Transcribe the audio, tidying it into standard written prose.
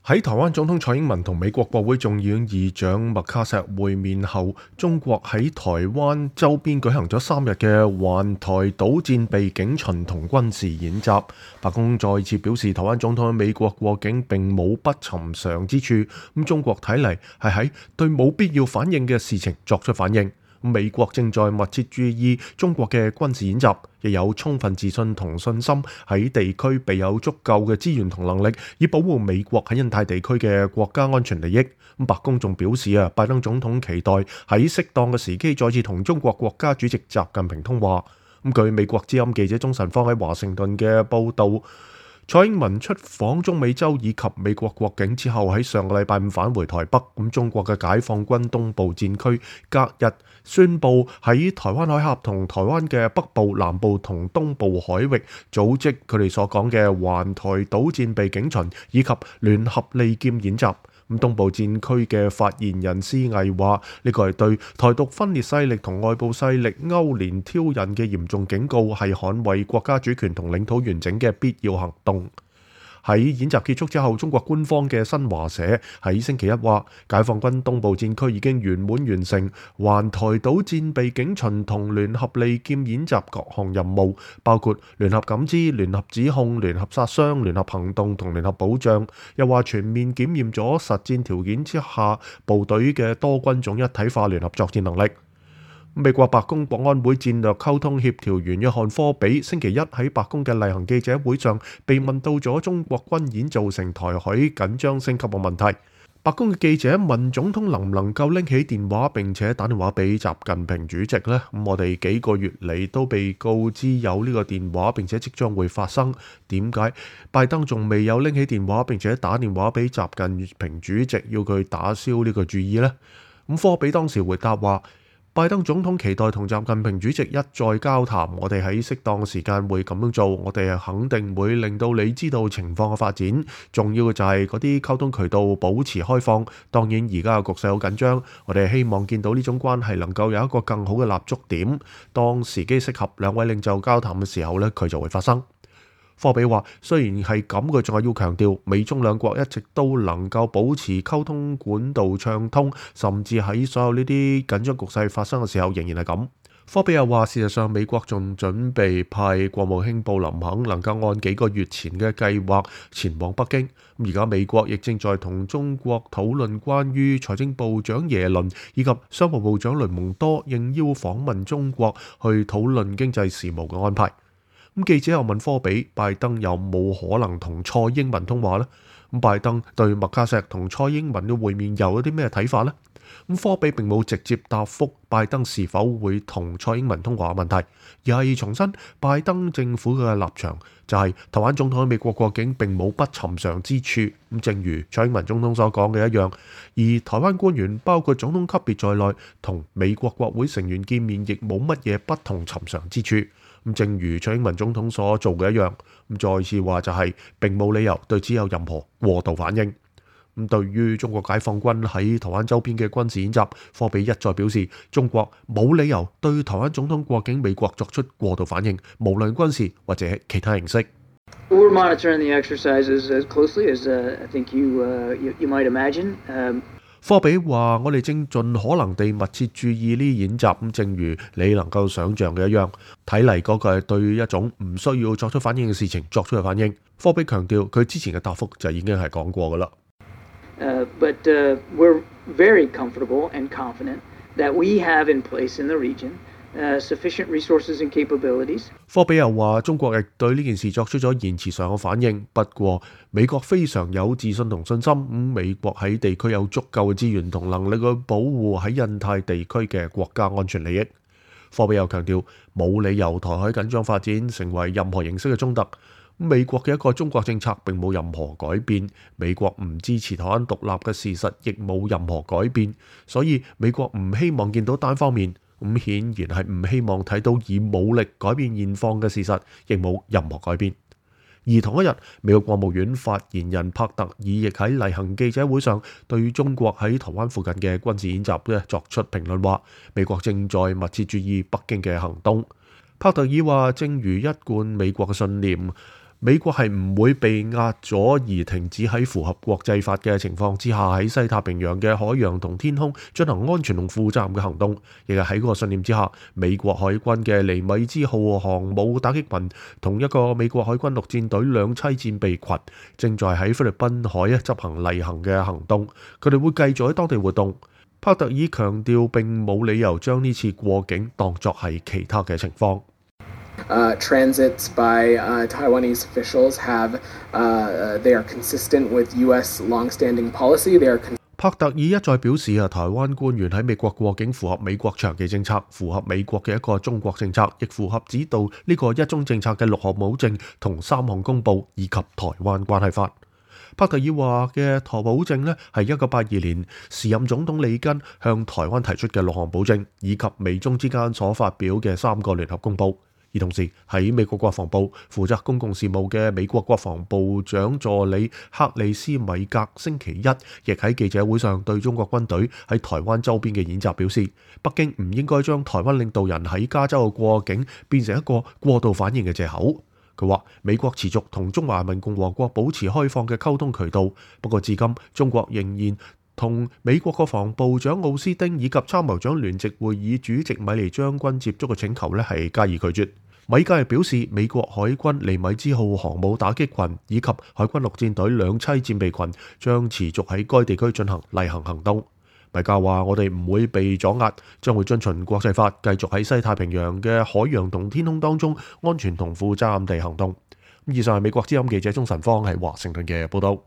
喺台灣總統蔡英文同美國國會眾議院議長麥卡錫會面後，中國喺台灣周邊舉行咗3日嘅環台島戰備警巡同軍事演習。白宮再次表示，台灣總統喺美國過境並冇不尋常之處。中國睇嚟係喺對冇必要反應嘅事情作出反應。美國正在密切注意中國嘅軍事演習，亦有充分自信同信心喺地區備有足夠嘅資源同能力，以保護美國喺印太地區嘅國家安全利益。白宮仲表示拜登總統期待喺適當嘅時機再次同中國國家主席習近平通話。據美國之音記者鍾晨芳喺華盛頓嘅報導，蔡英文出訪中美洲以及美國國境之後，喺上個禮拜5返回台北。中國嘅解放軍東部戰區隔日宣布喺台灣海峽同台灣嘅北部、南部同東部海域組織佢哋所講嘅環台島戰備警巡以及聯合利劍演習。東部戰區嘅發言人施毅話：呢個係對台獨分裂勢力同外部勢力勾連挑釁嘅嚴重警告，係捍衛國家主權同領土完整嘅必要行動。喺演習結束之後，中國官方嘅新華社喺星期一話，解放軍東部戰區已經圓滿完成環台島戰備警巡同聯合利劍演習各項任務，包括聯合感知、聯合指控、聯合殺傷、聯合行動同聯合保障。又話全面檢驗咗實戰條件之下部隊嘅多軍種一體化聯合作戰能力。美國白宮國安會戰略溝通協調員約翰科比星期一喺白宮嘅例行記者會上被問到咗中國軍演造成台海緊張升級嘅問題。白宮嘅記者問總統能唔能夠拎起電話並且打電話俾習近平主席呢？我哋幾個月嚟都被告知有呢個電話並且即將會發生，點解拜登仲未有拎起電話並且打電話俾習近平主席要佢打消呢個注意呢？科比當時回答話：拜登總統期待同習近平主席一再交談，我哋喺適當時間會咁樣做，我哋肯定會令到你知道情況嘅發展。重要嘅就係嗰啲溝通渠道保持開放。當然而家嘅局勢好緊張，我哋希望見到呢種關係能夠有一個更好嘅立足點。當時機適合兩位領袖交談嘅時候呢，佢就會發生。科比話：雖然係咁，佢仲係要強調美中兩國一直都能夠保持溝通管道暢通，甚至喺所有呢啲緊張局勢發生嘅時候仍然係咁。科比又話：事實上美國仲準備派國務卿布林肯能夠按幾個月前嘅計劃前往北京。而家美國亦正在同中國討論關於財政部長耶倫以及商務部長雷蒙多應邀訪問中國去討論經濟事務嘅安排。記者又問科比：拜登有冇可能同蔡英文通話呢？拜登對麥卡錫同蔡英文嘅會面又有啲咩睇法呢？科比並冇直接答覆拜登是否會同蔡英文通話嘅問題，而係重申拜登政府嘅立場就係台灣總統喺美國過境並冇不尋常之處。正如蔡英文總統所講嘅一樣，而台灣官員包括總統級別在內同美國國會成員見面亦冇乜嘢不同尋常之處。正如蔡英文總統所做嘅一樣，再次話就係並冇理由對此有任何過度反應。對於中國解放軍喺台灣周邊嘅軍事演習，科比一再表示，中國冇理由對台灣總統過境美國作出過度反應，無論軍事或者其他形式。We're monitoring the exercises as closely as I think you might imagine. 科比話：我哋正盡可能地密切注意呢啲演習，正如你能夠想像嘅一樣，睇嚟嗰個係對一種唔需要作出反應嘅事情作出嘅反應。科比強調佢之前嘅答覆就已經係講過㗎啦。But we're very comfortable and confident that we have in place in the region sufficient resources and capabilities. 科比又話：中國亦對呢件事作出咗言辭上嘅反應，不過美國非常有自信同信心，美國喺地區有足夠嘅資源同能力去保護喺印太地區嘅國家安全利益。科比又強調冇理由台海緊張發展成為任何形式嘅衝突。美國嘅一個中國政策並冇任何改變，美國唔支持台灣獨立嘅事實亦冇任何改變，所以美國唔希望見到單方面，顯然係唔希望睇到以武力改變現況嘅事實，亦冇任何改變。而同一日，美國國務院發言人帕特爾亦喺例行記者會上對中國喺台灣附近嘅軍事演習作出評論，話美國正在密切注意北京嘅行動。帕特爾話：正如一貫美國嘅信念，美國係唔會被壓咗而停止喺符合國際法嘅情況之下喺西太平洋嘅海洋同天空進行安全同負責任嘅行動。亦係喺嗰個信念之下，美國海軍嘅尼米茲號航母打擊群同一個美國海軍陸戰隊兩棲戰備群正在喺菲律賓海執行例行嘅行動，佢哋會繼續喺當地活動。帕特爾強調並冇理由將呢次過境當作係其他嘅情況。Transits by Taiwanese officials they are consistent with U.S. long-standing policy. They 帕特爾一再表示台灣官員喺美國過境符合美國長期政策，符合美國嘅一個中國政策，亦符合指導呢個一中政策嘅6項保證同3項公報以及台灣關係法。帕特爾話嘅台保證呢係1982年時任總統里根向台灣提出嘅6項保證，以及美中之間所發表嘅3個聯合公報。而同時喺美國國防部負責公共事務嘅美國國防部長助理克里斯米格星期一亦喺記者會上對中國軍隊喺台灣周邊嘅演習表示，北京唔應該將台灣領導人喺加州嘅過境變成一個過度反應嘅藉口。佢話美國持續同中華人民共和國保持開放嘅溝通渠道，不過至今中國仍然同美國國防部長奧斯汀以及參謀長聯席會議主席米利將軍接觸嘅請求係加以拒絕。米格亦表示，美國海軍尼米茲號航母打擊群以及海軍陸戰隊兩棲戰備群將持續喺該地區進行例行行動。米格話：我哋唔會被阻壓，將會遵循國際法，繼續喺西太平洋嘅海洋同天空當中安全同負責任地行動。以上係美國之音記者鍾晨芳喺華盛頓嘅報道。